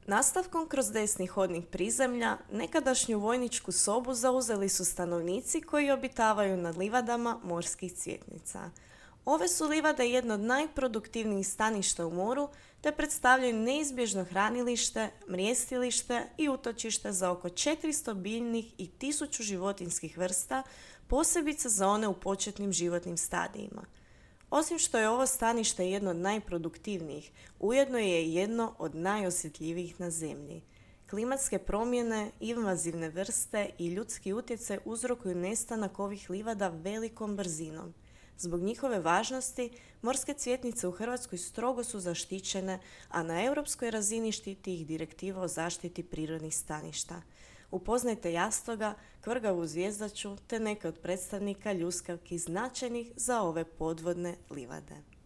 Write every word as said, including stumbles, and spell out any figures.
Nastavkom kroz desni hodnik prizemlja, nekadašnju vojničku sobu zauzeli su stanovnici koji obitavaju na livadama morskih cvjetnica. Ove su livade jedno od najproduktivnijih staništa u moru, te predstavljaju neizbježno hranilište, mrijestilište i utočište za oko četiristo biljnih i tisuću životinjskih vrsta, posebice za one u početnim životnim stadijima. Osim što je ovo stanište jedno od najproduktivnijih, ujedno je jedno od najosjetljivijih na zemlji. Klimatske promjene, invazivne vrste i ljudski utjecaj uzrokuju nestanak ovih livada velikom brzinom. Zbog njihove važnosti, morske cvjetnice u Hrvatskoj strogo su zaštićene, a na europskoj razini štiti ih Direktiva o zaštiti prirodnih staništa. Upoznajte jastoga, kvrgavu zvjezdaču te neke od predstavnika ljuskavki značajnih za ove podvodne livade.